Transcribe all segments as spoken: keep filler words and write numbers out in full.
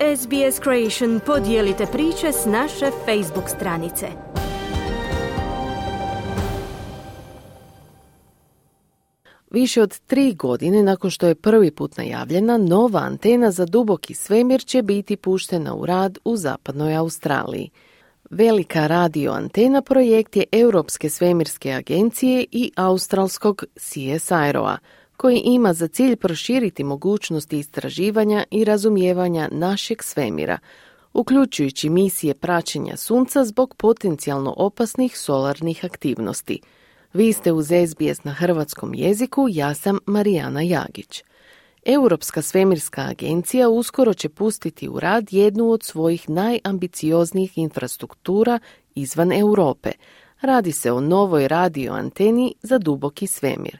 S B S Creation podijelite priče s naše Facebook stranice. Više od tri godine nakon što je prvi put najavljena, nova antena za duboki svemir će biti puštena u rad u zapadnoj Australiji. Velika radio antena projekt je Europske svemirske agencije i australskog C S I R O-a, koji ima za cilj proširiti mogućnosti istraživanja i razumijevanja našeg svemira, uključujući misije praćenja Sunca zbog potencijalno opasnih solarnih aktivnosti. Vi ste uz S B S na hrvatskom jeziku, ja sam Marijana Jagić. Europska svemirska agencija uskoro će pustiti u rad jednu od svojih najambicioznijih infrastruktura izvan Europe. Radi se o novoj radio anteni za duboki svemir.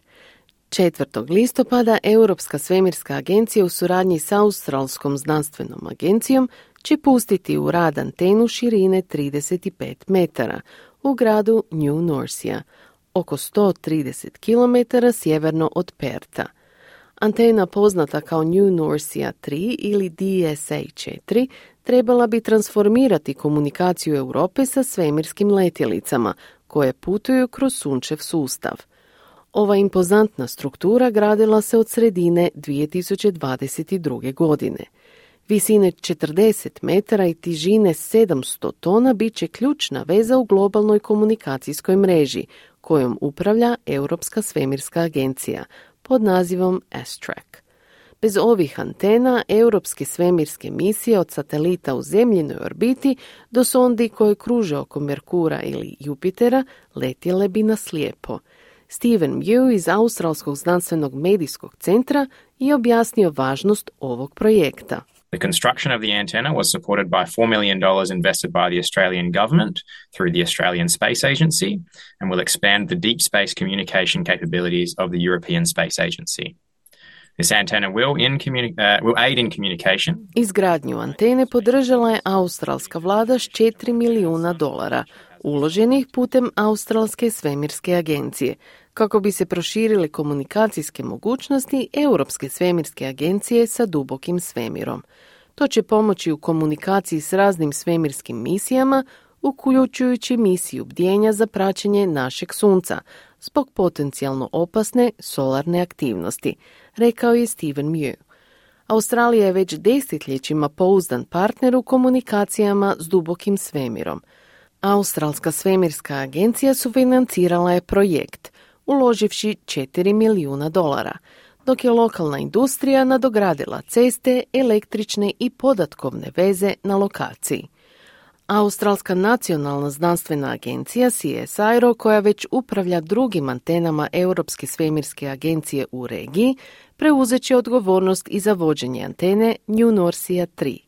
četvrtog listopada Europska svemirska agencija u suradnji s Australskom znanstvenom agencijom će pustiti u rad antenu širine trideset pet metara u gradu New Norcia, oko sto trideset kilometara sjeverno od Perta. Antena poznata kao New Norcia tri ili D S A četiri trebala bi transformirati komunikaciju Europe sa svemirskim letjelicama koje putuju kroz sunčev sustav. Ova impozantna struktura gradila se od sredine dvije tisuće dvadeset druge. godine. Visine četrdeset metara i težine sedamsto tona bit će ključna veza u globalnoj komunikacijskoj mreži kojom upravlja Europska svemirska agencija pod nazivom S-Track. Bez ovih antena, europske svemirske misije od satelita u zemljinoj orbiti do sondi koje kruže oko Merkura ili Jupitera letjele bi na slijepo. Steven Mew iz Australskog znanstvenog medijskog centra je objasnio važnost ovog projekta. The construction of the antenna was supported by four million dollars invested by the Australian government through the Australian Space Agency and will expand the deep space communication capabilities of the European Space Agency. This antenna will, in communi- uh, will aid in communication. Izgradnju antene podržala je australska vlada s četiri milijuna dolara, uloženih putem Australske svemirske agencije, kako bi se proširile komunikacijske mogućnosti Europske svemirske agencije sa dubokim svemirom. To će pomoći u komunikaciji s raznim svemirskim misijama, uključujući misiju bdjenja za praćenje našeg sunca, zbog potencijalno opasne solarne aktivnosti, rekao je Steven Mew. Australija je već desetljećima pouzdan partner u komunikacijama s dubokim svemirom. Australska svemirska agencija sufinancirala je projekt, uloživši četiri milijuna dolara, dok je lokalna industrija nadogradila ceste, električne i podatkovne veze na lokaciji. Australska nacionalna znanstvena agencija C S I R O, koja već upravlja drugim antenama Europske svemirske agencije u regiji, preuzet će odgovornost i za vođenje antene New Norcia tri.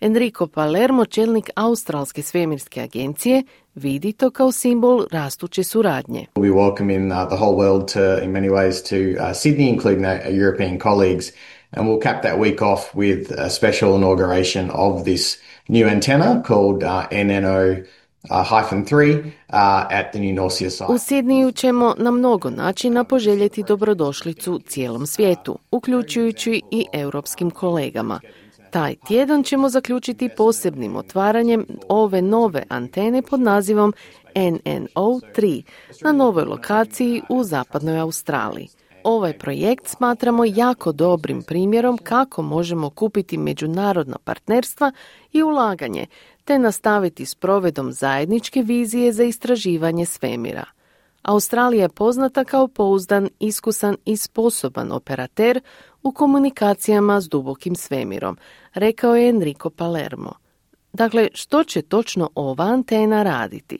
Enrico Palermo, čelnik Australske svemirske agencije, vidi to kao simbol rastuće suradnje. We welcome in uh, the whole world to, in many ways, to uh, Sydney, including our European colleagues, and we'll cap that week off with a special inauguration of this new antenna called uh, N N O three uh, at the New Norcia site. U Sidniju ćemo na mnogo načina poželjeti dobrodošlicu cijelom svijetu, uključujući i europskim kolegama. Taj tjedan ćemo zaključiti posebnim otvaranjem ove nove antene pod nazivom N N O tri na novoj lokaciji u zapadnoj Australiji. Ovaj projekt smatramo jako dobrim primjerom kako možemo kupiti međunarodna partnerstva i ulaganje, te nastaviti s provedom zajedničke vizije za istraživanje svemira. Australija je poznata kao pouzdan, iskusan i sposoban operater u komunikacijama s dubokim svemirom, rekao je Enrico Palermo. Dakle, što će točno ova antena raditi?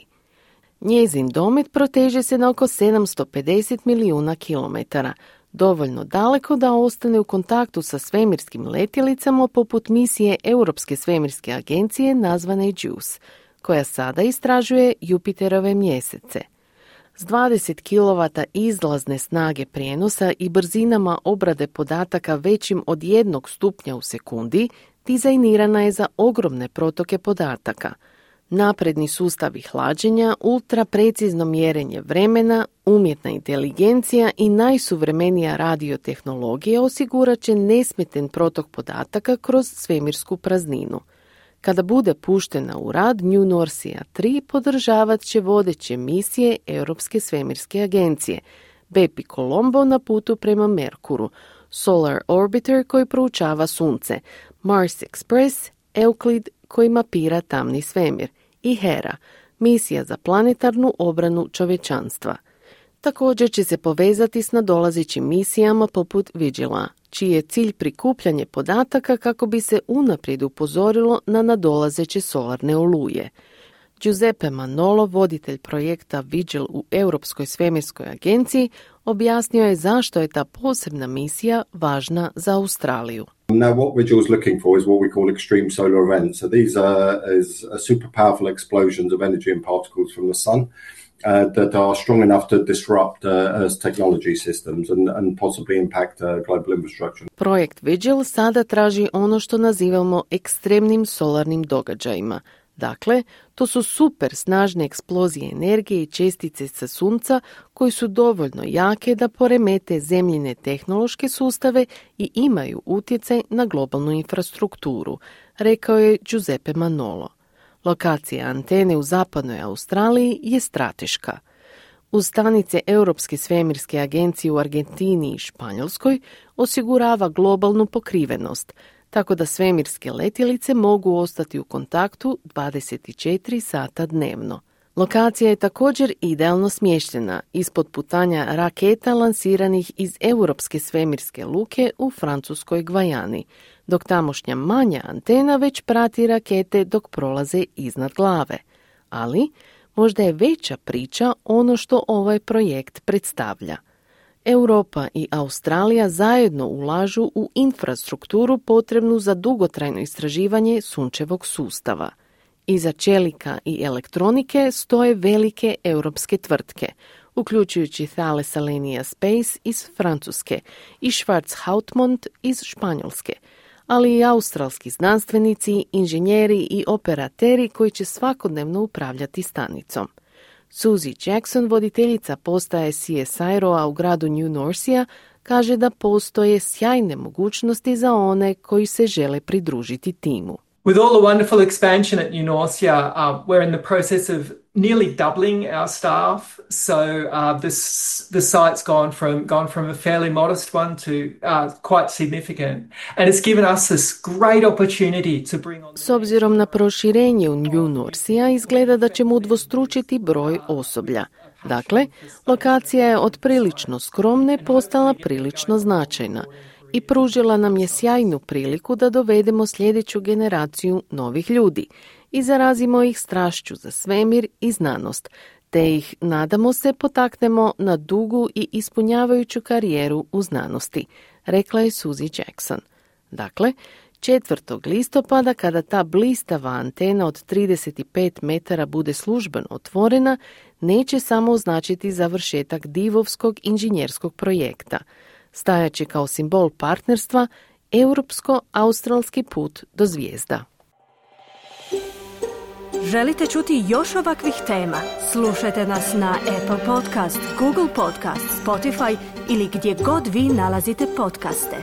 Njezin domet proteže se na oko sedamsto pedeset milijuna kilometara, dovoljno daleko da ostane u kontaktu sa svemirskim letjelicama poput misije Europske svemirske agencije nazvane JUICE, koja sada istražuje Jupiterove mjesece. S dvadeset kilovata izlazne snage prijenosa i brzinama obrade podataka većim od jednog stupnja u sekundi, dizajnirana je za ogromne protoke podataka. Napredni sustavi hlađenja, ultra precizno mjerenje vremena, umjetna inteligencija i najsuvremenija radiotehnologija osigurat će nesmetan protok podataka kroz svemirsku prazninu. Kada bude puštena u rad, New Norcia tri podržavat će vodeće misije Europske svemirske agencije, Bepi Colombo na putu prema Merkuru, Solar Orbiter koji proučava Sunce, Mars Express, Euclid koji mapira tamni svemir i Hera, misija za planetarnu obranu čovječanstva. Također će se povezati s nadolazećim misijama poput Vigila, čiji je cilj prikupljanje podataka kako bi se unaprijed upozorilo na nadolazeće solarne oluje. Giuseppe Manolo, voditelj projekta Vigil u Europskoj svemirskoj agenciji, objasnio je zašto je ta posebna misija važna za Australiju. Now, what Vigil is looking for is what we call extreme solar events. So these are is super powerful explosions of energy and particles from the sun uh, that are strong enough to disrupt uh, Earth's technology systems and, and possibly impact uh, global infrastructure. Projekt Vigil sada traži ono što nazivamo ekstremnim solarnim događajima. Dakle, to su super snažne eksplozije energije i čestice sa Sunca koji su dovoljno jake da poremete zemljine tehnološke sustave i imaju utjecaj na globalnu infrastrukturu, rekao je Giuseppe Manolo. Lokacija antene u zapadnoj Australiji je strateška. Uz stanice Europske svemirske agencije u Argentini i Španjolskoj osigurava globalnu pokrivenost, tako da svemirske letjelice mogu ostati u kontaktu dvadeset četiri sata dnevno. Lokacija je također idealno smještena ispod putanja raketa lansiranih iz Europske svemirske luke u francuskoj Gvajani, dok tamošnja manja antena već prati rakete dok prolaze iznad glave. Ali možda je veća priča ono što ovaj projekt predstavlja. Europa i Australija zajedno ulažu u infrastrukturu potrebnu za dugotrajno istraživanje sunčevog sustava. Iza čelika i elektronike stoje velike europske tvrtke, uključujući Thales Alenia Space iz Francuske i Schwarzhautmont iz Španjolske, ali i australski znanstvenici, inženjeri i operateri koji će svakodnevno upravljati stanicom. Suzy Jackson, voditeljica postaje C S I R-a u gradu New Norcia, kaže da postoje sjajne mogućnosti za one koji se žele pridružiti timu. With all the wonderful expansion at New Norcia, uh, we're in the process of nearly doubling our staff. So uh, this, the site's gone from gone from a fairly modest one to uh, quite significant, and it's given us this great opportunity to bring on. S obzirom na proširenje u New Norcia, izgleda da ćemo udvostručiti broj osoblja. Dakle, lokacija je od prilično skromne postala prilično značajna i pružila nam je sjajnu priliku da dovedemo sljedeću generaciju novih ljudi i zarazimo ih strašću za svemir i znanost, te ih, nadamo se, potaknemo na dugu i ispunjavajuću karijeru u znanosti, rekla je Suzy Jackson. Dakle, četvrtog listopada, kada ta blistava antena od trideset pet metara bude službeno otvorena, neće samo označiti završetak divovskog inženjerskog projekta. Stajaće kao simbol partnerstva europsko-australski put do zvijezda. Želite čuti još ovakvih tema? Slušajte nas na Apple Podcast, Google Podcast, Spotify ili gdje god vi nalazite podcaste.